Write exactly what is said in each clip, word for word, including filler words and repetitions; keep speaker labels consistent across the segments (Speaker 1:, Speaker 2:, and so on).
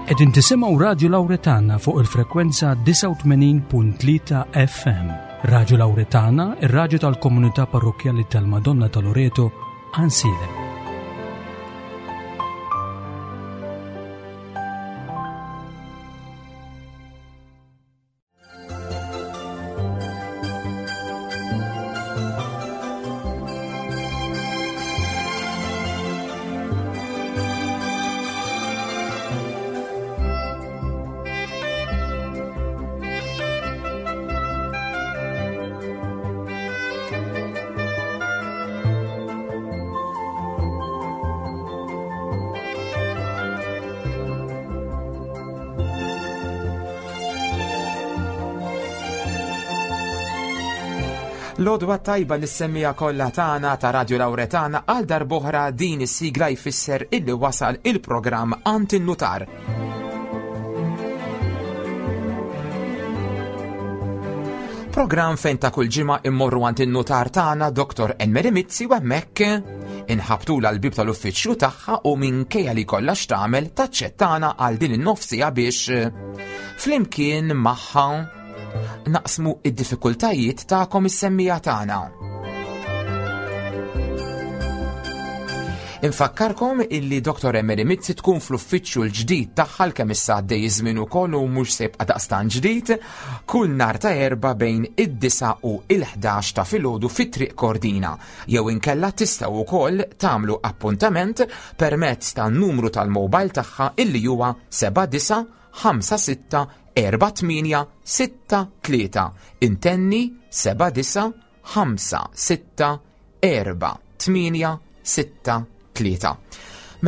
Speaker 1: Qegħdin tisimgħu Radio Lauretana fuq il-frekwenza disgħa u tmenin punt tlieta F M. Radio Lauretana, ir-radju tal-komunità parrokkjali tal-Madonna ta' Loreto, Għajnsielem.
Speaker 2: L-għodwa tajba lis-semmija kollha tagħna ta' Radio Lauretana għal darb'oħra din is-sigla jfisser illi wasal il-programm Għand in-Nutar. Programm fejn ta' kull ġimgħa immorru għand in-nutar tagħna Doktor Anne-Marie Mizzi u hemmhekk inħabtula l-bib tal-uffiċċju tagħha u minkejja li kollha x'tagħmel taċċettana għal din in-nofsija biex flimkien magħha naqsmu id-diffikultajiet tagħkom is-semmija tagħna. Infakkarkom illi Doktor Anne-Marie Mizzi tkun fl-uffiċċju l-ġdid tagħha l-kemm issa għaddej iż-żmien ukoll u mhux se jibqa' daqstan ġdid, kull nhar ta' Erbgħa bejn id-disgħa u l-ħdax ta' filgħodu fi Triq Kordina. Jew inkella tistgħu wkoll tagħmlu appuntament permezz tan-numru tal-mobile tagħha illi huwa seba' disa' ħamsa sitta erba' tmienja sitta tlieta. Intenni seba' disa' ħamsa sitta erba' tmienja sitta tlieta.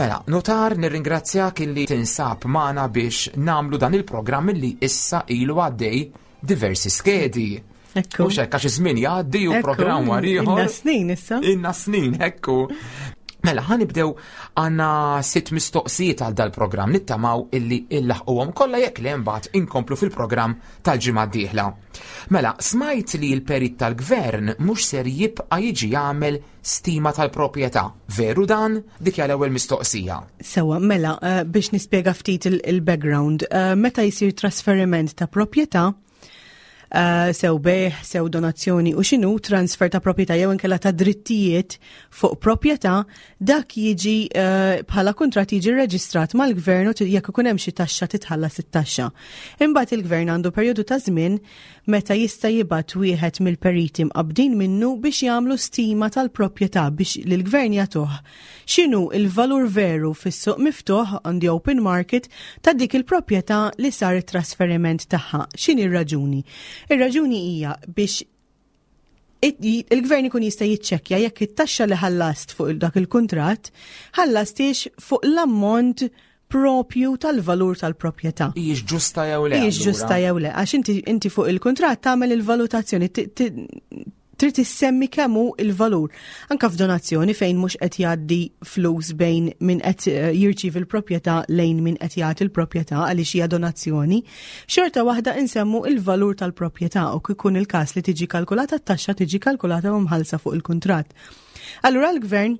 Speaker 2: Mela, notar, nirringrazzjak illi tinsab magħna biex namlu dan il-programm illi issa ilu għaddej diversi skedi.
Speaker 3: Ekku.
Speaker 2: Mhux hekk għax iż-żmien jgħaddi u
Speaker 3: Ekku,
Speaker 2: programm wara ieħor.
Speaker 3: Inna snin issa.
Speaker 2: Inna snin, ekku. Mela, ħanibdew għandna sitt mistoqsijiet għal dal-programm nittamaw illi illaħquhom kollha jekk li mbagħad inkomplu fil-programm tal-ġimgħa d-dieħla. Mela, smajt li l-perit tal-gvern mhux ser jibqa' jiġi jagħmel stima tal-proprjetà. Veru dan? Dik hija l-ewwel mistoqsija.
Speaker 3: Sewa, mela, eh, biex nispjega ftit il-, il-background, eh, meta jsir trasferiment ta' proprjetà, eh, sew bejgħ, sew donazzjoni u xinu transfer ta' proprjetà jew inkella ta' drittijiet fuq proprjetà, dak jiġi, eh, bħala kuntratt jiġi rreġistrat mal-gvern u jekk ikun hemm xi taxxa titħallas it-taxxa. Imbagħad il-gvern għandu perjodu ta' żmien meta jista' jibgħat wieħed mill-periti mqabbdin minnu biex jagħmlu stima tal-proprjetà biex lill-gvern jagħtuh x'inhu il-valur veru fis-suq miftuħ on the open market ta' dik il-proprjetà li sar it-trasferiment tagħha. X'inhi r-raġuni? Ir-raġuni hija biex it-, il-gvern ikun jista' jiċċekkja jekk it-taxxa li ħallast fuq dak il-kuntratt ħallastiex fuq l-ammont propju tal-valur tal-proprjetà.
Speaker 2: Hijiex ġusta jew le,
Speaker 3: Hijiex
Speaker 2: allura?
Speaker 3: ġusta jew le, għax inti, inti fuq il-kuntratt tagħmel il-valutazzjoni, ti-, ti-, trid issemmi kemm hu il-valur. Anka f'donazzjoni fejn mhux qed jgħaddi flus bejn min qed, eh, jirċievi l-proprjetà lejn min qed jagħti l-proprjetà għaliex hija donazzjoni, xorta waħda insemmu il-valur tal-proprjetà u kif ikun il-każ li tiġi kalkulata t-taxxa tiġi kalkulata u mħallsa fuq il-kuntratt. Allura l-gvern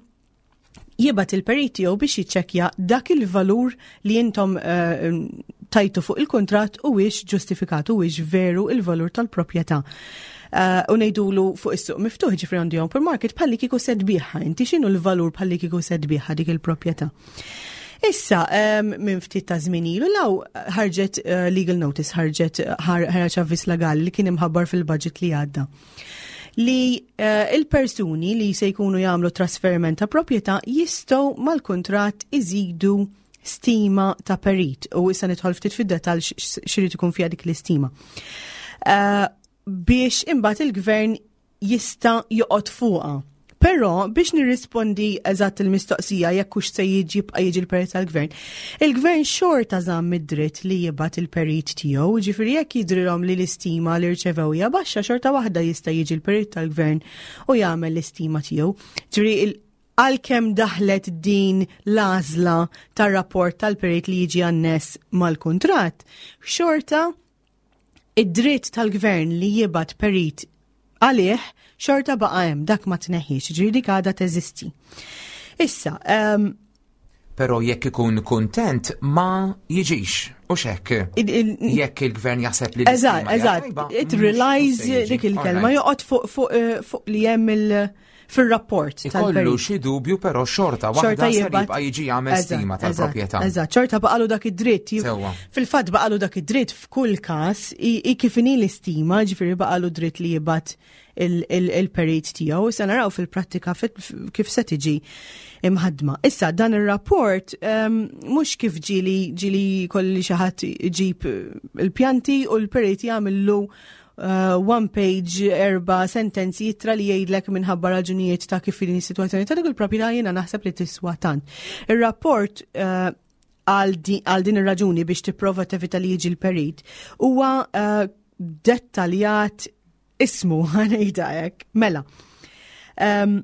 Speaker 3: jibgħat il-perit tiegħu biex jiċċekkja dak il-valur li intom, eh, tajtu fuq il-kuntratt u wiex ġustifikat u wiex veru il-valur tal-proprjetà. Eh, u ngħidulu fuq is-suq miftuħ, ġifri on the open market, bħalli kieku se tbigħha, inti x'inhu l-valur bħalli kieku se tbigħha dik il-proprjetà. Issa, em, minn ftit ta' żmien ilu law ħarġet, eh, legal notice, ħarġet, ħar-, ħarġet avviż legali li kien imħabbar fil-budget li għadda. Li, eh, il-persuni li se jkunu jagħmlu trasferiment ta' proprjetà jistgħu mal-kuntratt iżidu stima ta' perit. U issa nidħol ftit fid-dettall x-, x-, x'irid ikun fiha dik l-istima. Eh, biex imbagħad il-gvern jista' joqgħod fuqha. Però biex nirrispondi eżatt il-mistoqsija jekk hux se jiġi jibqa' jiġi l-perit tal-gvern, il-gvern xorta żamm id-dritt li jibgħat il-perit tiegħu, ġifieri jekk jidrilhom li l-istima li rċevew hija baxxa, xorta waħda jista' jiġi l-perit tal-gvern u jagħmel l-istima tiegħu. Ġifieri il-, għalkemm daħlet din l-għażla tar-rapport tal-perit li jiġi anness mal-kuntratt, xorta id-dritt tal-gvern li jibgħat perit għalih xorta baqa' hemm, dak ma tneħħiex, ġifieri dik għadha teżisti. Issa, ehm,
Speaker 2: Però jekk ikun kontent ma jiġix, u xek. Jekk il-gvern jaħseb li
Speaker 3: Eżatt, eżatt. It relies, dik il-kelma, joqgħod fuq eh, fuq li hemm il- fil-rapport.
Speaker 2: Ikollu xi dubju, però xorta waħda jibqa' jiġi jagħmel stima tal-proprjetà.
Speaker 3: Eżatt, xorta baqalu dak id-dritt. Fil-fatt baqalu dak id-dritt f'kull każ, i kif inhi l-istima, ġifieri baqalu dritt li jibgħat il-perit tiegħu. Issa naraw fil-prattika kif se tiġi imħadma. Issa dan ir-rapport mhux kif ġieli ġieli kolli xi ħadd iġib il-pjanti u l-perit jagħmillu uh, one page, erba sentenzi jitra li jgħidlek minħabba raġunijiet ta' kif din is-sitwazzjoni ta' dik il-proprjetà jiena naħseb li tiswa tant. Ir-rapport uh, għal din ir-raġuni, biex tipprova tevita li jiġi l-perit, huwa uh, dettaljat ismu, ħa ngħidha hekk. Mela. Um,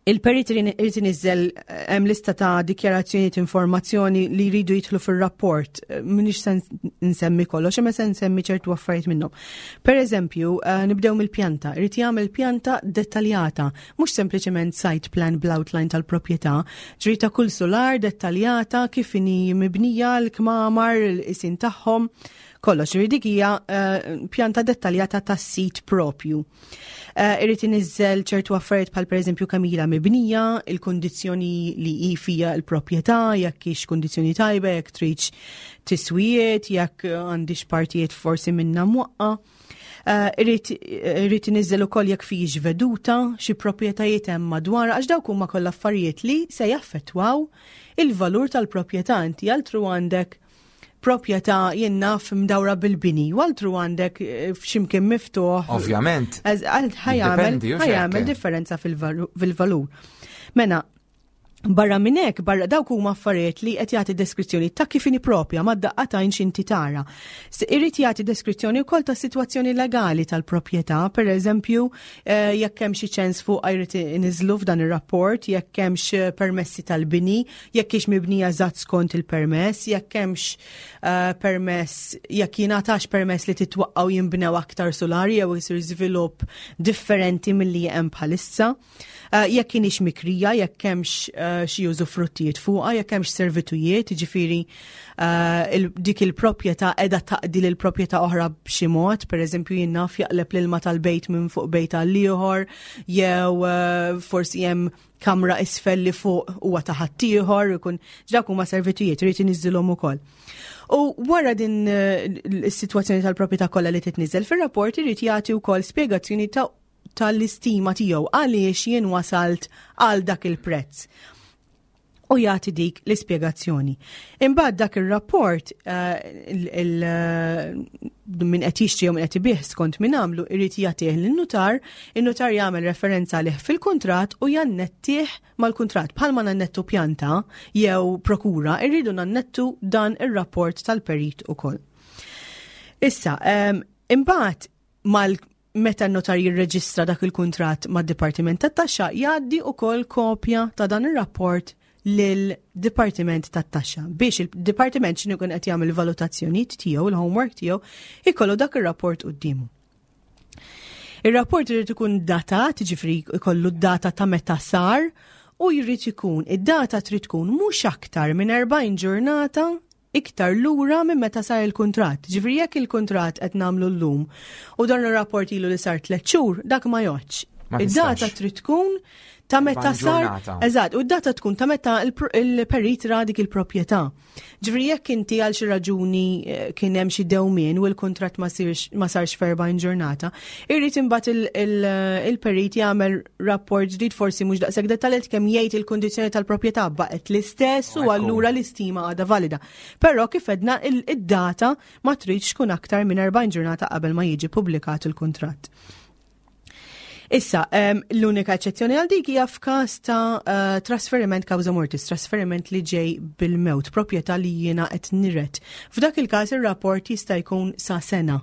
Speaker 3: Il-perit irid iniżżel, eh, hemm lista ta' dikjarazzjoni, informazzjoni li jridu jidħlu fir-rapport. Eh, M'iniex se nsemmi kollox, imma se nsemmi ċertu affarijiet minnhom. Per eżempju, eh, nibdew mill-pjanta. Irid jagħmel pjanta dettaljata, mhux sempliċement site plan bl-outline tal-proprjetà, ġifieri ta' kull solar dettaljata, kif inhi mibnija, l-kmamar, il-isin tagħhom, kollox. Dik hija pjanta dettaljata tas-sit propju. Eh, irrid iniżżel ċertu affarijiet bħal pereżempju kemm ilha mibnija, il-kondizzjoni li hi fija l-proprjetà, jekk hix kondizzjoni tajba, jekk tridx tiswijiet, jekk għandix partijiet forsi minna mwaqqa. Uh, irrid iniżżel ukoll jekk fihiex veduta, xi proprjetajiet hemm madwar, għax dawk huma kollha affarijiet li se jaffettwaw il-valur tal-proprjetà. Inti altru għandek proprjetà, jien naf, mdawra bil-bini, u altru għandek eh, f'ximkien miftuħ.
Speaker 2: Ovvjament.
Speaker 3: Ħa jagħmel differenza fil-valur. Mena, barra minn hekk, barra dawk huma affarijiet li qed jagħti deskrizzjoni ta' kif inhi propja mad-daqqa t'għajn x'inti tara. Irid jagħti deskrizzjoni wkoll ta' sitwazzjoni legali tal-proprjetà, per eżempju, eh, jekk hemm xi ċens fuq jrid iniżlu f'dan ir-rapport, jekk hemmx permessi tal-bini, jekk hix mibnija eżatt skont il-permess, jekk hemmx eh, permess, jekk jingħatax permess li titwaqqaw jinbnew aktar solari jew isir żvilupp differenti milli hemm bħalissa. Eh, jekk kienix mikrija, jekk hemmx eh, xi użufruttijiet fuqha, jekk hemmx servitujiet, ġifieri eh, dik il-proprjetà qiegħda taqdi lil proprjetà oħra b'xi mod, pereżempju, jien naf, jaqleb l-ilma tal-bejt minn fuq bejt għal ieħor, jew forsi hemm kamra isfel li fuq huwa ta' ħaddieħor, ikun dak huma servitujiet, irid iniżżilhom ukoll. U wara din is-sitwazzjoni tal-proprjetà kollha li titniżel fir-rapport, irid jagħti wkoll spjegazzjoni ta' tal-istima tiegħu, għaliex jien wasalt għal dak il-prezz. U jagħti dik l-ispjegazzjoni. Imbagħad dak ir-rapport uh, min qed jixtri jew min qed ibih, skont min għamlu, irid jagħtih lin-nutar, in-nutar jagħmel referenza għalih fil-kuntratt u jannettih mal-kuntratt. Bħalma nannettu pjanta jew prokura, irridu nannettu dan ir-rapport tal-perit ukoll. Issa, um, imbagħad mal meta n-notar jirreġistra dak il-kuntratt mad-Dipartiment tat-Taxxa, jgħaddi ukoll kopja ta' dan ir-rapport lil-Dipartiment tat-Taxxa biex il-Dipartiment, x'inhu jkun qed jagħmel valutazzjonijiet tiegħu, il-homework tiegħu, ikollu dak ir-rapport quddiemu. Ir-rapport irid ikun datat, ġifieri ikollu d-data ta' meta sar u jrid ikun, id-data trid tkun mhux aktar minn erbgħin ġurnata iktar lura minn meta sar il-kuntratt. Ġifieri jekk il-kuntratt qed nagħmlu llum u dan ir-rapport ilu li sar tliet xhur, dak ma jgħoddx. Id-data trid tkun ta' meta sar. Eżatt, u d-data tkun ta' meta il-perit ra dik il-proprjetà. Ġifieri jekk inti għal xi raġuni eh, kien hemm xi dewmien u l-kuntratt ma sarx f'erbgħin ġurnata, irrid imbagħad il-perit jagħmel rapport ġdid, forsi mhux daqshekk dettaljat, kemm jgħid il-kundizzjoni tal-proprjetà baqgħet l-istess u allura l-istima għadha valida. Però kif għedna, id-data ma tridx tkun aktar minn erbgħin ġurnata qabel ma jiġi publikat il-kuntratt. Issa, l-unika eċċezzjoni għal dik hija f'każ ta' uh, trasferiment causa mortis, trasferiment li ġej bil-mewt, proprjetà li jiena qed niret. F'dak il-każ ir-rapport jista' jkun sa sena.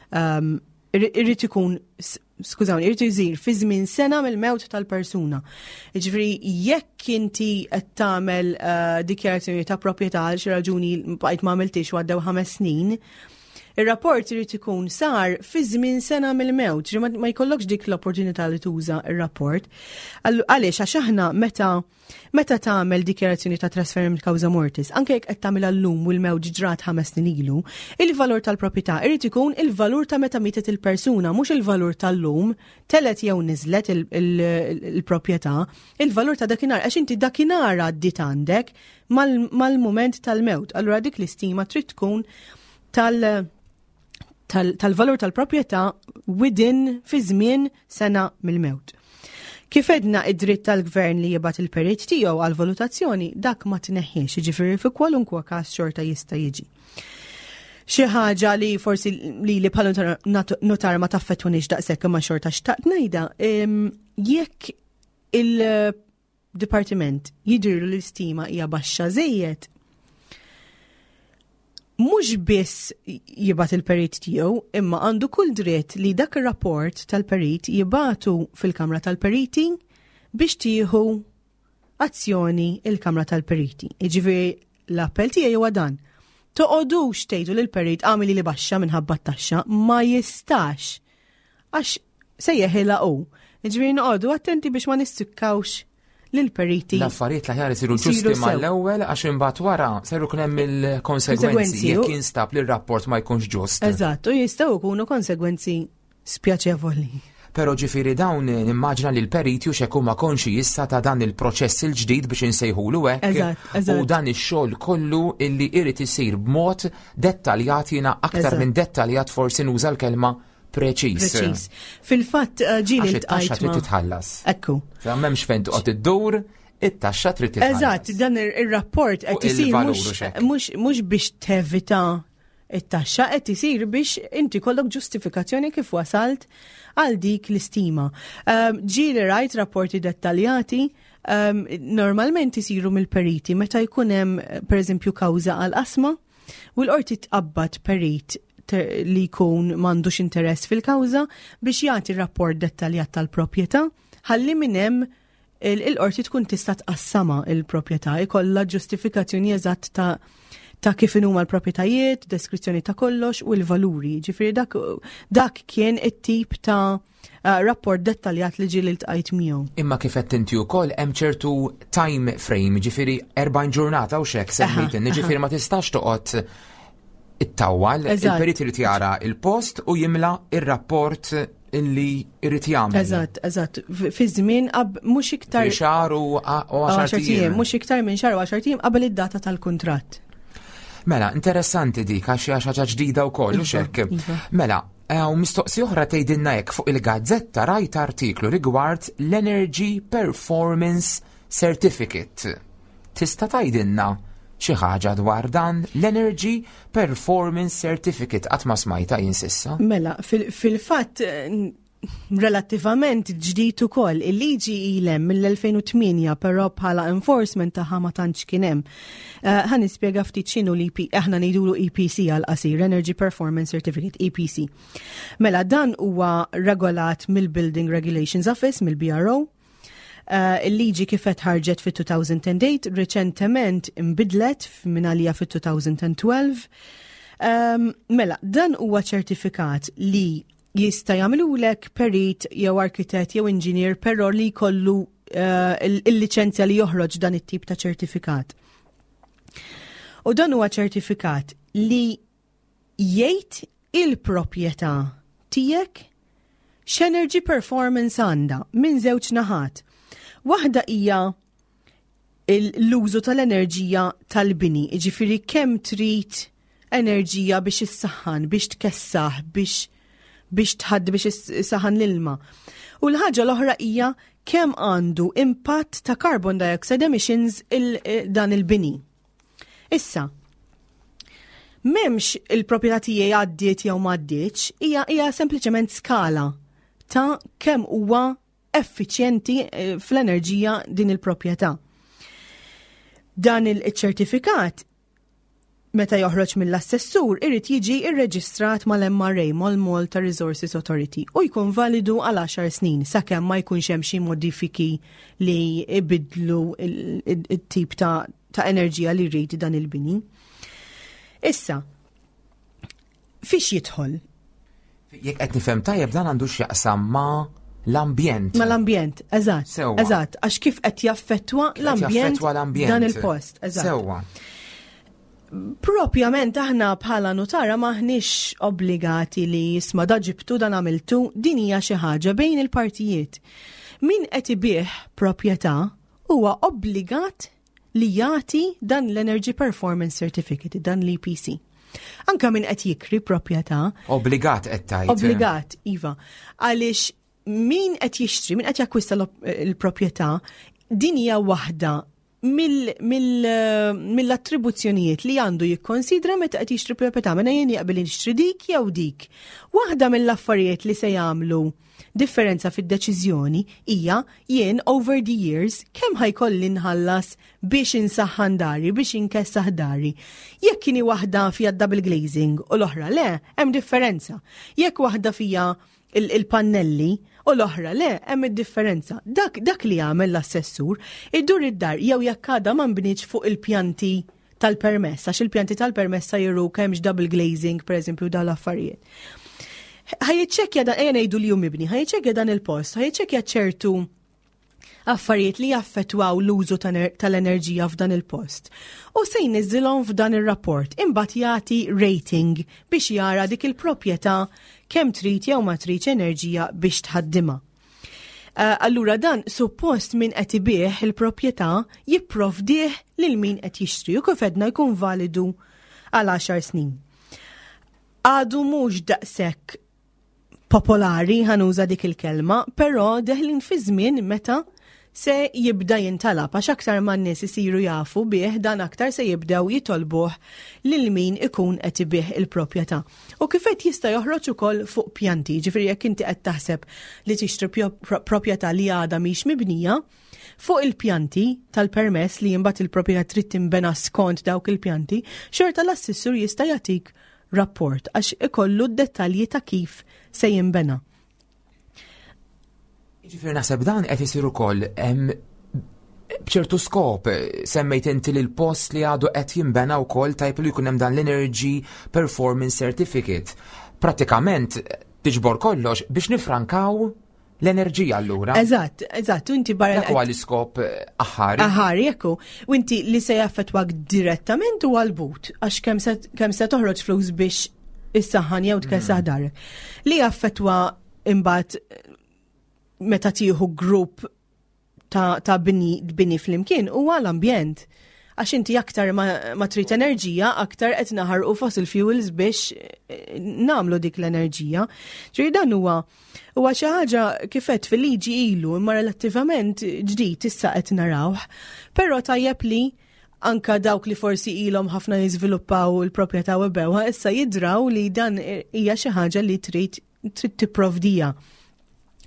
Speaker 3: Um, irrid ikun, skużawni, irrid jsir fi żmien sena mill-mewt tal-persuna. Ġifieri jekk inti qed tagħmel uh, dikjarazzjoni ta' proprjetà, għal xi raġuni bqajt ma għamiltix u għaddew ħames snin, Ir-rapport irid ikun sar fi żmien sena mill-mewt, ġi ma ma jkollokx dik l-opportunità li tuża ir-rapport. Allu- Għaliex, għax aħna meta meta tagħmel dikjarazzjoni ta' trasferiment causa mortis, anke jekk qed tagħmilha llum u l-mewt ġrat ħames snin ilu, il-valur tal-proprjetà irid ikun il-valur ta' meta mietet il-persuna, mhux il-valur tal-lum, telgħet jew niżlet il- il- il-proprjetà, il-valur ta' dakinhar, għax inti dakinhar għaddit għandek mal- mal-mument tal-mewt. Allura dik l-istima trid tkun tal- tal- tal-valur tal-proprjetà within fi żmien sena mill-mewt. Kif għedna, id-dritt tal-gvern li jibgħat il-perit tiegħu għal valutazzjoni, dak ma tneħħiex, jiġifieri fi kwalunkwe każ xorta jista' jiġi. Xi ħaġa li forsi li li bħala notar ma taffettwanix daqshekk, imma xorta xtaqt ngħidha, em, jekk il-dipartiment jidhirlu l-istima hija baxxa żejjed, mhux biss jibgħat il-perit tiegħu, imma għandu kull dritt li dak ir-rapport tal-perit jibgħatu fil-Kamra tal-Periti biex tieħu azzjoni il-Kamra tal-Periti. Jiġifieri l-appell tiegħi huwa dan. Toqogħdux tgħidu lil perit "għamilli li baxxa minħabba t-taxxa", ma jistax. Għax se jeħilha hu. Jiġifieri noqogħdu attenti biex ma nissikkawx lil periti.
Speaker 2: L-affarijiet l-aħjar isiru
Speaker 3: Isiru
Speaker 2: ġusti
Speaker 3: sew.
Speaker 2: mal-ewwel, għax imbagħad wara seru jkun hemm il-konsegwenzi
Speaker 3: Konsegwenzi,
Speaker 2: jekk
Speaker 3: u-
Speaker 2: jinstab li r-rapport ma jkunx ġust.
Speaker 3: Eżatt, u jistgħu jkunu konsegwenzi spjaċevoli.
Speaker 2: Pero ġifieri dawn nimmaġina li l-periti u xek huma konxi issa ta' dan il-proċess il-ġdid biex insejħulu hekk.
Speaker 3: Eżatt, eżatt.
Speaker 2: U dan ix-xogħol kollu illi irid isir b'mod dettaljat, jiena aktar
Speaker 3: Eżatt.
Speaker 2: minn dettaljat forsi nuża l-kelma preċiż.
Speaker 3: Preċiż. Fil-fatt eh, ġieli
Speaker 2: Għax it-taxxa
Speaker 3: iltqajt
Speaker 2: trid
Speaker 3: ma'
Speaker 2: titħallas.
Speaker 3: Ekku.
Speaker 2: M'hemmx fejn toqgħod iddur, it-taxxa trid titħallas.
Speaker 3: Eżatt, dan ir- ir-rapport qed
Speaker 2: Fuq
Speaker 3: isir
Speaker 2: il-valur
Speaker 3: mhux
Speaker 2: u xek.
Speaker 3: mhux mhux biex tevita it-taxxa, qed isir biex inti kollok ġustifikazzjoni kif wasalt għal dik l-istima. Um, ġieli rajt rapporti dettaljati, um, normalment isiru mill-periti meta jkun hemm, pereżempju, kawża għal qasma u l-qorti tqabbad perit ter- li jkun m'għandux interess fil-kawża biex jagħti rapport dettaljat tal-proprjetà ħalli minn hemm il- il-qorti tkun tista' tqassama il-proprjetà, ikollha ġustifikazzjoni eżatt ta' ta' kif huma l-proprjetajiet, deskrizzjoni ta' kollox u l-valuri. Ġifieri dak, dak kien it-tip ta' uh, rapport dettaljat li ġieli ltqajt miegħu.
Speaker 2: Imma kif qed inti wkoll hemm ċertu time frame, ġifieri erbgħin ġurnata u xek semmejt, ġifieri ma tistax toqgħod ittawwal,
Speaker 3: Eżatt.
Speaker 2: il-perit irid jara il-post u jimla ir-rapport illi irid jagħmel.
Speaker 3: Eżatt, eżatt. F- Fi żmien qab mhux iktar
Speaker 2: Xahar u u għaxar
Speaker 3: għaxar ijiem,
Speaker 2: ijiem.
Speaker 3: mhux iktar minn xahar u għaxar ijiem qabel id-data tal-kuntratt.
Speaker 2: Mela, interessanti dik, għax hija xi ħaġa ġdida wkoll u
Speaker 3: Iva,
Speaker 2: xek.
Speaker 3: iva.
Speaker 2: Mela, eh, u mistoqsi oħra tgħidilna hekk: fuq il-gazzetta rajt artiklu rigward l-Energy Performance Certificate. Tista' tgħidilna xi ħaġa dwar dan l-Energy Performance Certificate? Qatt ma smajta jien s'issa.
Speaker 3: Mela, fil- fil-fatt eh, relattivament ġdid ukoll. Il-liġi ilha mill-elfejn u tmienja, però bħala enforcement tagħha ma tantx kien hemm. Eh, Ħa nispjega ftit x'inhu l-E P, aħna ngħidulu E P C għal qasir, Energy Performance Certificate, E P C. Mela, dan huwa regolat mill-Building Regulations Office, mill-B R O. Uh, il-liġi kifet ħarġet fit-elfejn u tmienja, reċentement imbidlet minn għalija fit-elfejn u tnax. Um, mela, dan huwa ċertifikat li jista' jagħmlulek perit jew arkitett jew inġinier, però li jkollu uh, il-liċenzja li joħroġ dan it-tip ta' ċertifikat. U dan huwa ċertifikat li jgħid il-proprjetà tiegħek x'energy performance għandha minn żewġ naħat. Waħda hija l-użu tal-enerġija tal-bini, ġifieri kemm trid enerġija biex issaħħan, biex tkessaħ, biex biex tħadd biex issaħħan l-ilma. U l-ħaġa l-oħra hija kemm għandu impatt ta' carbon dioxide emissions il dan il-bini. Issa, m'hemmx il-proprjetà tiegħi għaddiet jew m'għaddietx, hija hija sempliċement skala ta' kemm huwa effiċjenti eh, fl-enerġija din il-proprjetà. Dan il-ċertifikat meta joħroġ mill-assessur irid jiġi irreġistrat mal-M R A, mal-Malta Resources Authority, u jkun validu għal għaxar snin sakemm ma jkunx hemm xi modifiki li ibidlu il-tip ta' ta' enerġija li jrid dan il-bini. Issa, Fiex jidħol?
Speaker 2: Jekk qed nifhem tajjeb, dan għandu x'jaqsam ma' l-ambjent.
Speaker 3: Ma' l-ambjent, eżatt.
Speaker 2: Sewwa.
Speaker 3: Eżatt, għax kif qed jaffettwa
Speaker 2: Qed
Speaker 3: l-ambjent
Speaker 2: jaffettwa l-ambjent.
Speaker 3: dan il-post. Eżatt.
Speaker 2: Sewwa.
Speaker 3: Propjament aħna bħala nutara maħniex obbligati li jisma' da ġibtu, dan għamiltu, din hija xi ħaġa bejn il-partijiet. Min qed ibih proprjetà huwa obbligat li jagħti dan l-Energy Performance Certificate, dan l-E P C. Anka min qed jikri proprjetà.
Speaker 2: Obbligat qed tgħid.
Speaker 3: Obbligat, iva. Għaliex min qed jixtri, min qed jakkwista l-proprjetà, din hija waħda mill-attribuzzjonijiet li għandu jikkonsidra meta qed jixtri proprjetà, mela jien jaqbel jixtri dik jew dik. Waħda mill-affarijiet li se jagħmlu differenza fid-deċiżjoni hija jien over the years kemm ħa jkolli nħallas biex insaħħan dari, biex inkessaħ dari. Jekk kieni waħda fija double glazing u l-oħra le, hemm differenza. Jekk waħda fija il-pannelli u l-oħra le, hemm id-differenza. Dak, dak li jagħmel l-assessur, idur id-dar jew jekk għadha ma nbnietx fuq il-pjanti tal-permess, għax il-pjanti tal-permess jiru kemmx double glazing, per eżempju, dawn l-affarijiet. Ħa jiċċekkja dan, ejja ngħidu li hu mibni, ħa jiċċekkja dan il-post, ħa jiċċekkja ċertu affarijiet li jaffettwaw l-użu tal-enerġija f'dan il-post. U se jniżżilhom f'dan ir-rapport, imbagħad jagħti rating biex jara dik il-proprjetà kemm trid jew ma tridx enerġija biex tħaddimha. Uh, allura dan suppost min qed ibih il-proprjetà jipprovdih lil min qed jixtri u kif għedna jkun validu għal għaxar snin. Għadu mhux daqshekk popolari, ħa nuża dik il-kelma, però deħlin fi żmien meta se jibda jintalab, għax aktar ma n-nies isiru jafu bih dan, aktar se jibdew jitolbuh lil min ikun qed ibih il-proprjetà. U kif qed jista' joħroġ ukoll fuq pjanti, ġifieri jekk inti qed taħseb li tixtri proprjetà li għadha mhix mibnija, fuq il-pjanti tal-permess li imbagħad il-proprjetà trid tinbena skont dawk il-pjanti, xorta l-assessur jista' jagħtik rapport għax ikollu d-dettalji ta' kif se jinbena.
Speaker 2: Ġifieri naħseb dan qed isir ukoll b'ċertu skop. Semmejt inti li l-post li għadu qed jinbena wkoll tajb li jkun hemm dan l-Energy Performance Certificate. Pratikament tiġbor kollox biex nifrankaw l-enerġija allura.
Speaker 3: Eżatt, eżatt, u inti barra.
Speaker 2: Dak huwa l-iskop aħħari.
Speaker 3: Aħħari, ekku. U inti li se jaffettwak direttament u għal-but, għax kemm se toħroġ flus biex issaħħan jew tkessaħ mm. darek. Li jaffettwa imbagħad meta tieħu grupp ta', ta bini, bini flimkien huwa l-ambjent. Għax inti aktar ma, ma trid enerġija, aktar qed naħarqu fossil fuels biex eh, namlu dik l-enerġija. Ġifieri dan huwa huwa xi ħaġa kif għedt fil-liġi ilu imma relattivament ġdid issa qed narawh. Però tajjeb li anka dawk li forsi ilhom ħafna jiżviluppaw il-proprjetà u bewha issa jidraw li dan hija xi ħaġa li trid trid tipprovdija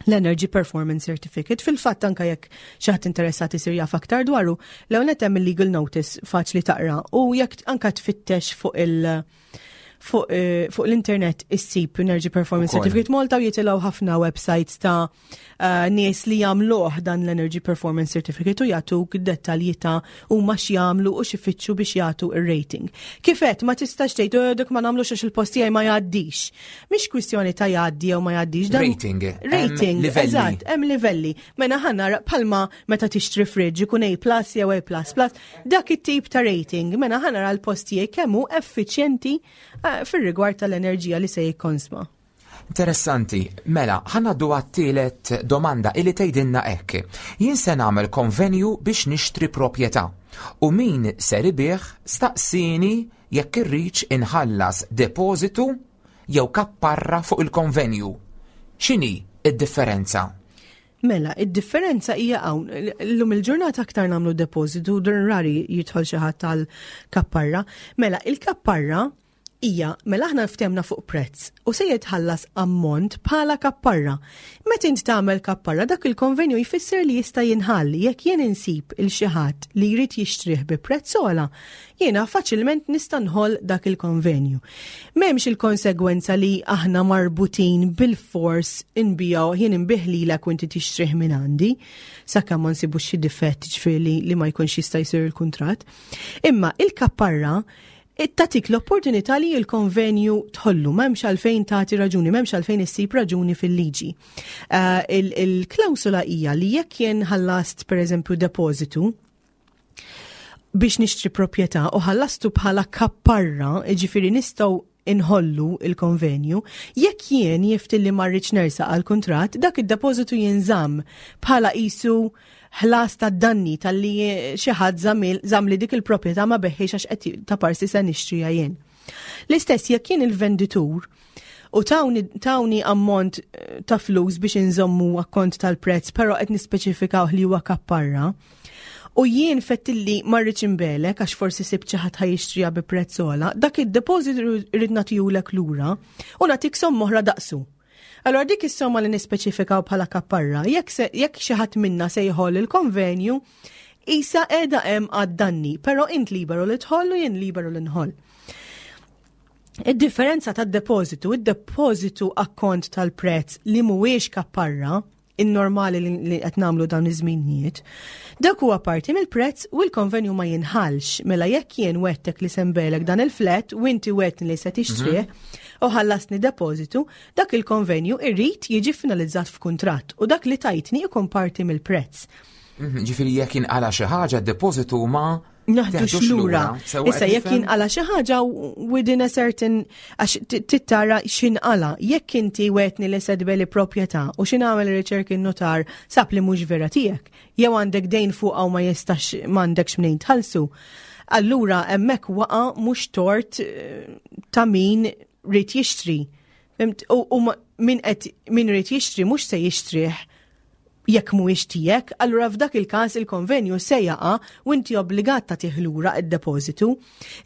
Speaker 3: l-Energy Performance Certificate. Fil-fatt anka jekk xi ħadd interessat isir jaf aktar dwaru, l hemm il-legal notice faċli taqra u jekk anka tfittex fuq il- fuq eh, fuq l-internet issib Energy Performance
Speaker 2: Ukoll.
Speaker 3: Certificate Malta u jitilgħu ħafna websites ta' eh, nies li jagħmluh dan l-Energy Performance Certificate u jagħtuk dettalji ta' huma x'jagħmlu u x'ifittxu biex jagħtu ir-rating. Kif għedt, ma tistax tgħid, "Oh, dik ma nagħmlux għax il-post tiegħi ma jgħaddix." Mhix kwistjoni ta' jgħaddi jew ma jgħaddix. Dan
Speaker 2: Rating, hemm
Speaker 3: Rating,
Speaker 2: livelli.
Speaker 3: eżatt, hemm livelli. Mela ħa nara bħalma meta tixtri fridge ikun A plus jew A plus plus, dak it-tip ta' rating, mela ħa nara l-post tiegħi kemm hu effiċjenti eh, fir-rigward tal-enerġija li se jikkonsma.
Speaker 2: Interessanti, mela, ħa ngħaddu għat-tielet domanda illi tgħidilna hekk. Jien se nagħmel konvenju biex nixtri proprjetà u min ser ibigħ staqsini jekk irridx inħallas depożitu jew kapparra fuq il-konvenju. X'inhi id-differenza?
Speaker 3: Mela, id-differenza hija hawn. Illum il-ġurnata aktar nagħmlu depożitu, din rari jidħol xi ħadd tal-kapparra. Mela, il-kapparra hija mela aħna ftehemna fuq prezz u se jitħallas ammont bħala kapparra. Meta int tagħmel kapparra, dak il-konvenju jfisser li jista' jinħall jekk jien insib il xi ħadd li jrid jixtrih bi prezz ogħla, jiena faċilment nista' nħoll dak il-konvenju. M'hemmx il-konsegwenza li aħna marbutin bil-fors inbiegħu, jien inbigħ lilek u inti tixtrih minn għandi, sakemm ma nsibux xi difett, ġifieri li, li ma jkunx jista' jsir il-kuntratt. Imma il-kapparra Tagħtik l-opportunità li l-konvenju tħollu, m'hemmx għalfejn tagħti raġuni, m'hemmx għalfejn issib raġuni fil-liġi. Uh, Il-klawsula hija li jekk jien ħallast, pereżempju, depożitu biex nixtri proprjetà u ħallastu bħala kapparra, jiġifieri nistgħu inħollu il-konvenju, jekk jien jiftilli ma rridx nersaq għal kuntratt, dak id-depożitu jinżamm bħala qisu ħlas ta' danni tal-li xi ħadd żammli dik il-proprjetà, ma begħhiex għax qed ta' parsi se nixtrija jien. L-istess jekk jien il-venditur u tawni, tawni ammont eh, ta' flus biex inżommu akkont tal-prezz, però qed nispeċifikaw li huwa kapparra. U jien fettilli ma rridx inbigħlek għax forsi sibt xi ħadd ħa jixtriha bi prezz ogħla, dak id-deposit irrid nagħtihulek lura u nagħtik somma oħra daqsu. Allora dik is-somma li nispeċifikaw bħala kapparra, jekk jekk xi ħadd minna se jħoll il-konvenju, isa qiegħda hemm għad-danni, però int liberu li tħollu, jien liberu li nħoll. Id-differenza tad-depożitu, id-depożitu akkont tal-prezz li mhuwiex kapparra, in-normali li qed nagħmlu dawn iż-żminijiet, dak huwa parti mill-prezz u l-konvenju ma jinħallx. Mela jekk jien wegħedtek li se nbigħlek dan il-flat u inti wegħedtni li se tixtrih u ħallasni depożitu, dak il-konvenju irrid jiġi finalizzat f'kuntratt u dak li tajtni ikun parti mill-prezz.
Speaker 2: Mhm, Ġifieri jekk inqala xi ħaġa, depożitu ma
Speaker 3: Neħdux lura. Issa jekk jinqala xi ħaġa within a certain, għax tittara x'inqala. Jekk inti wegħedtni li se tbigħli proprjetà u x'ħin għamel riċerki n-notar sab li mhux vera tiegħek, jew għandek dejn fuq u ma jistax, m'għandekx mnejn tħallsu. Allura hemmhekk waqa' mhux tort eh, ta' min ried jixtri. U min qed min ried jixtri mhux se jixtrih jekk mhuwiex tiegħek, allura f'dak il-każ il-konvenju se jaqa' u inti obbligat tagħtih lura id-depożitu.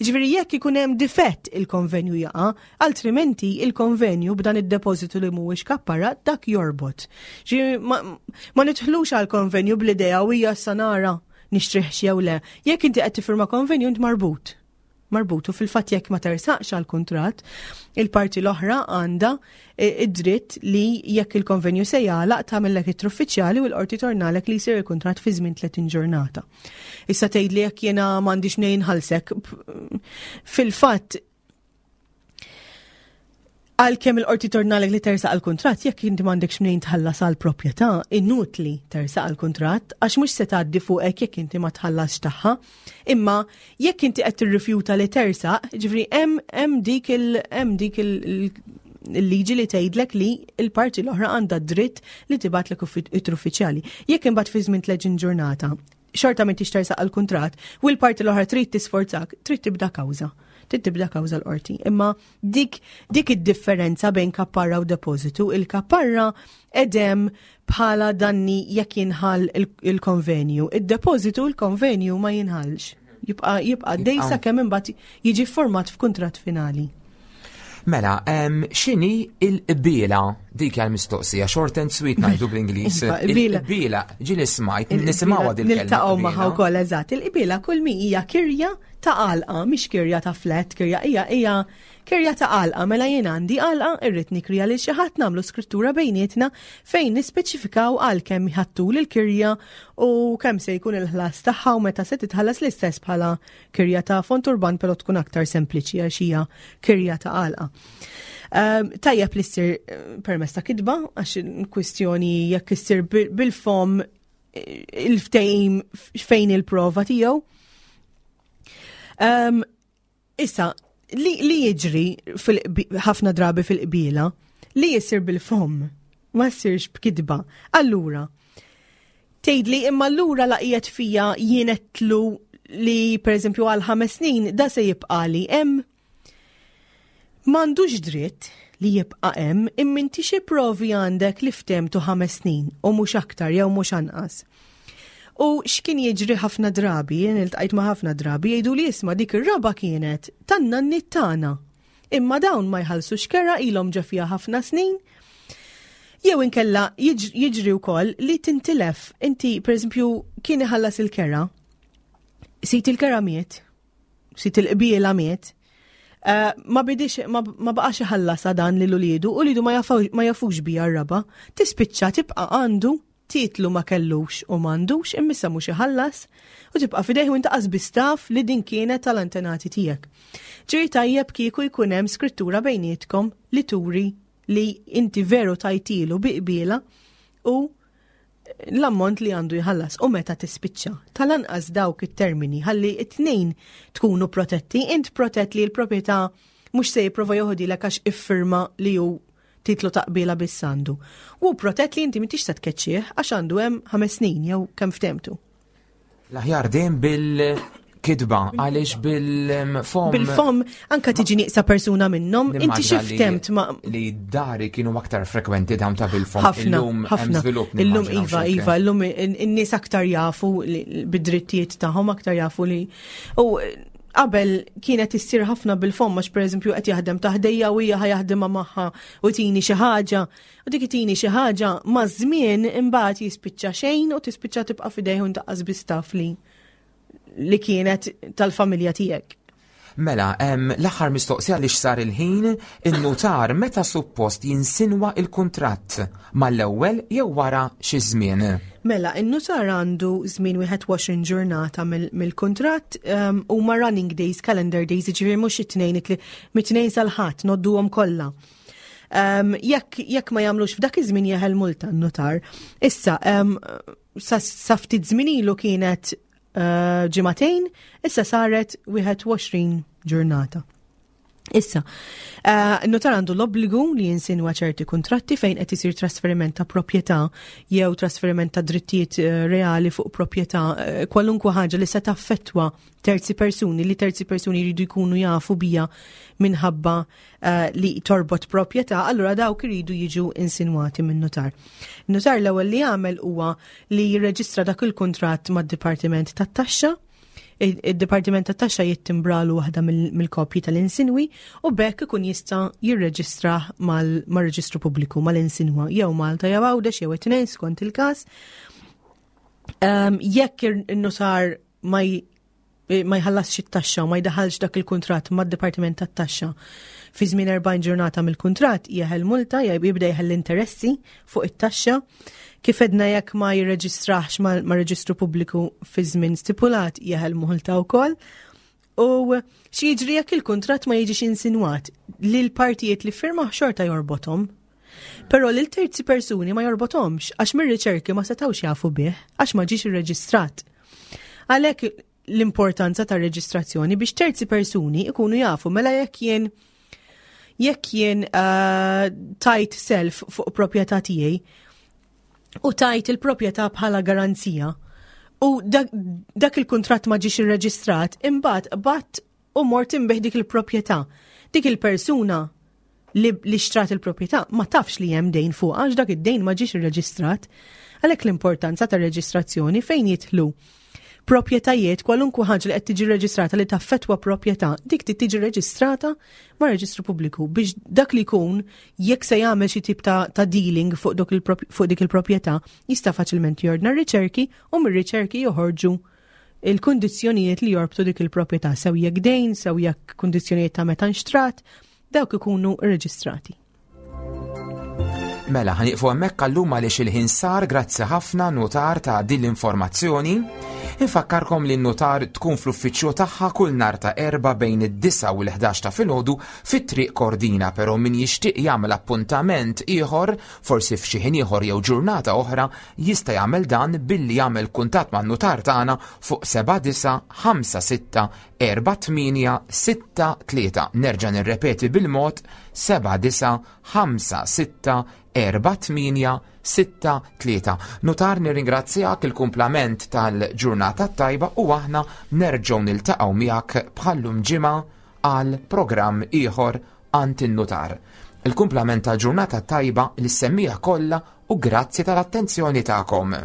Speaker 3: Ġifieri jekk ikun hemm difett, il-konvenju jaqa', altrimenti il-konvenju b'dan id-depożitu li mhuwiex kapparra, dak jorbot. Ġifieri ma, ma nidħlux għal konvenju bl-idea u hija sanara nixtrih jew le. Jekk inti qed tifirma konvenju, int marbut marbutu fil-fatt jekk ma tersaqx għal kuntratt, il-parti l-oħra għandha id-dritt li jekk il-konvenju se jagħlaq tagħmellek ittra uffiċjali u l-qorti tordnalek li jsir il-kuntratt fi żmien tletin ġurnata. Issa tgħid li jekk jiena m'għandix mnejn nħallsek, fil-fatt għalkemm il-qorti tordnalek li tersaq għal kuntratt, jekk inti m'għandekx mnejn tħallas għal proprjetà, inutli tersaq għal kuntratt għax mhux se tgħaddi fuqek jekk inti ma tħallasx tagħha. Imma jekk inti qed tirrifjuta li tersaq, ġifieri hemm hemm dik il hemm dik il il-liġi li tgħidlek li il-parti l-oħra għandha dritt li tibgħatlek ittra uffiċjali. Jekk imbagħad fi żmien tletin ġurnata xorta m'intix tersaq għal kuntratt u l-parti l-oħra trid tisforzak, trid tibda kawża. Trid tibda kawża l-qorti. Imma dik dik id-differenza bejn kapparra u depożitu, il-kapparra edem bħala danni jekk jinħall il-konvenju. Id-depożitu, il-konvenju ma jinħallx. Jibqa' jibqa' dejsa kemm imbagħad jiġi format f'kuntratt finali.
Speaker 2: Mela, x'inhi il-qbiela? Dik għal mistoqsija, short and sweet ngħidu bl-Ingliż.
Speaker 3: Iva, qbiela.
Speaker 2: Il-qbiela, ġieli smajt, nisimgħuha dil-kelma.
Speaker 3: Niltaqgħu magħha
Speaker 2: qbiela.
Speaker 3: Wkoll, eżatt. Il-qbiela kull mi hija kirja ta' għalqa, mhix kirja ta' flat, kirja hija hija kirja ta' għalqa. Mela jien għandi għalqa, irrid nikrija lil xi ħadd, nagħmlu skrittura bejnietna fejn nispeċifikaw għal kemm ħattu l-kirja u kemm se jkun il-ħlas tagħha u meta se titħallas, l-istess bħala kirja ta' fond urban, però tkun aktar sempliċi għax hija kirja ta' għalqa. Um, tajjeb li ssir eh, permezz ta' kitba, għax kwistjoni jekk issir bil- bil-fom eh, il-ftehim fejn il-prova tiegħu. Um, issa, li, li jiġri fil- ħafna drabi fil-qbiela, li jisir bil-fom, ma jsirx b'kitba. Allura, tgħidli imma allura laqqiet fija jienetlu li per eżempju għal ħames snin da se jibqa' li hemm. M'għandux dritt li jibqa' hemm, imma inti xi provi għandek li ftehemtu ħames snin u mhux aktar jew mhux anqas? U x'kien jiġri ħafna drabi, jien iltqajt ma' ħafna drabi, jgħidu li isma', dik ir-raba kienet tan-nanniet tagħna. Imma dawn ma jħallsux kera, ilhom ġa fiha ħafna snin. Jew inkella jiġri wkoll li tintilef. Inti, pereżempju, kien iħallas il-kera, sid il-kera miet, sid il-qbiela miet, Uh, ma bidix, ma, ma baqax iħallas dan lil uliedu u uliedu ma, ma jafux bija r-raba, tispiċċa tibqa' għandu titlu ma kellux u m'għandux, immissa mhux iħallas u tibqa' fidejh u inti qas taf li din kienet tal-antenati tiegħek. Ġifieri tajjeb kieku jkun hemm skrittura bejnietkom li turi li inti veru tajtilu bi qbiela u l-ammont li għandu jħallas u meta tispiċċa. Tal-anqas dawk it-termini ħalli it-tnejn tkunu protetti, int protett li l-proprjetà mhux se jipprova joħodilek għax iffirma li hu titlu ta' qbiela biss għandu. U protett li inti m'intix se tkeċċih għax għandu hemm ħames snin jew kemm ftehmtu.
Speaker 2: L-aħjar dejjem bil-kitba, għaliex bil-fom.
Speaker 3: Bil-fom anka tiġi nieqsa persuna minnhom, inti
Speaker 2: Nimmaġina
Speaker 3: xi
Speaker 2: li-
Speaker 3: ftemt ma'
Speaker 2: Li dari kienu aktar frekwenti dawn ta' bil-fom.
Speaker 3: ħafna,
Speaker 2: Illum hemm
Speaker 3: ħafna.
Speaker 2: żvilupp,
Speaker 3: Illum
Speaker 2: nimmaġina,
Speaker 3: iva,
Speaker 2: x'hekk.
Speaker 3: iva, illum in-nies aktar jafu li- bid-drittijiet tagħhom, aktar jafu li. U qabel kienet issir ħafna bil-fom, għax pereżempju qed jaħdem taħdejja u hija ħa jaħdimha magħha u tini xi ħaġa. U dik tini xi ħaġa ma' żmien imbagħad jispiċċa xejn u tispiċċa tibqa' f'idejh u ntaqqas biss taf li li kienet tal-familja tiegħek.
Speaker 2: Mela, em, l-aħħar mistoqsija li sar il-ħin, in-nutar meta suppost jinsinwa il-kuntratt, mal-ewwel jew wara xi żmien?
Speaker 3: Mela, in-nutar għandu żmien wieħed u għoxrin ġurnata mill- mill-kuntratt um, u ma running days, calendar days, ġifieri mhux it-tnejn, it- mit-tnejn sal-ħadd, ngħodduhom kollha. Um, jekk jekk ma jagħmlux f'dak iż-żmien jeħel multa n-nutar. Issa, um, sa, sa ftit żmien ilu kienet uh, ġimagħtejn, issa saret wieħed u għoxrin ġurnata. Issa, uh, notar għandu l-obbligu li jinsinwa ċerti kontratti fejn qed isir trasferiment ta' proprjetà jew trasferiment ta' drittijiet eh, reali fuq proprjetà, eh, kwalunkwe ħaġa li se taffettwa terzi persuni, li terzi persuni jridu jkunu jafu bija minħabba uh, li torbot proprjetà, allura dawk iridu jiġu insinwati minn notar. Notar l-ewwel li jagħmel huwa li jirreġistra dak il-kuntratt mad-Dipartiment tat-Taxxa. Id-Dipartiment tat-Taxxa jittimbralu waħda mill-kopji tal-insinwi u b'hekk ikun jista' jirreġistra mal-reġistru pubbliku, mal-insinwa, jew Malta jew Għawdex jew it-tnejn skont il-każ. Um, jekk in-notar ma ma jħallasx it-taxxa u ma jdaħalx dak il-kuntratt mad-Dipartiment tat-Taxxa fi żmien erbgħin ġurnata mill-kuntratt, jeħel multa, jibda jeħel l-interessi fuq it-taxxa. Kif għedna, jekk ma jirreġistrax ma' reġistru pubbliku fi żmien stipulat, jeħel multa wkoll. U xi jiġri jekk il-kuntratt ma jiġix insinwat? Li l-partijiet li firma xorta jorbothom. Però lil terzi persuni ma jorbothomx għax mir-riċerki ma setawx jafu bih għax ma ġiex irreġistrat. Għalhekk l-importanza ta' reġistrazzjoni biex terzi persuni ikunu jafu. Mela jekk jien jekk jien uh, tajt self fuq proprjetà tiegħi u tajt il-proprjetà bħala garanzija u dak, dak il-kuntratt ma ġiex irreġistrat, imbagħad bat u mort inbigħ dik il-proprjetà. Dik il-persuna li, li xtrat il-proprjetà ma tafx li hemm dejn fuq għax dak id-dejn ma ġiex irreġistrat. Għalhekk l-importanza ta' reġistrazzjoni fejn jidħlu proprjetajiet, kwalunkwe ħaġa li qed tiġi reġistrata li taffetwa proprjetà, dik trid tiġi reġistrata ma' reġistru pubbliku biex dak li jkun jekk se jagħmel xi tip ta', ta dealing fuq, dok fuq dik il-proprjetà jista' faċilment jordna r-riċerki u mir-riċerki joħorġu il-kundizzjonijiet li jorbtu dik il-proprjetà, sew jekk dejn, sew jekk kundizzjonijiet ta' meta nxtrat, dawk ikunu rreġistrati.
Speaker 2: Mela, ħa nieqfu hemmhekk għallum għaliex il-ħin sar. Grazzi ħafna, notar, ta' din l-informazzjoni. Infakkarkom li n-notar tkun fl-uffiċċju tagħha kull nhar ta' Erbgħa bejn id-disgħa u l-ħdax ta' filgħodu fit-Triq Kordina, però min jixtieq jagħmel appuntament ieħor, forsi f'xi ħin ieħor jew ġurnata oħra, jista' jagħmel dan billi jagħmel kuntatt man-notar tagħna fuq seba' disa' ħamsa sitta erba' tmienja sitta tlieta. Nerġa' nirrepeti bil-mod: seba' disa' ħamsa sitta erba' tmienja sitta tlieta. Notar, nirringrazzjak, il-kumplament tal-ġurnata tajba u aħna nerġgħu niltaqgħu miegħek bħallum ġimgħa għal programm ieħor għand in-notar. Il-kumplament tal-ġurnata tajba lis-semmiegħa kollha u grazzi tal-attenzjoni tagħkom.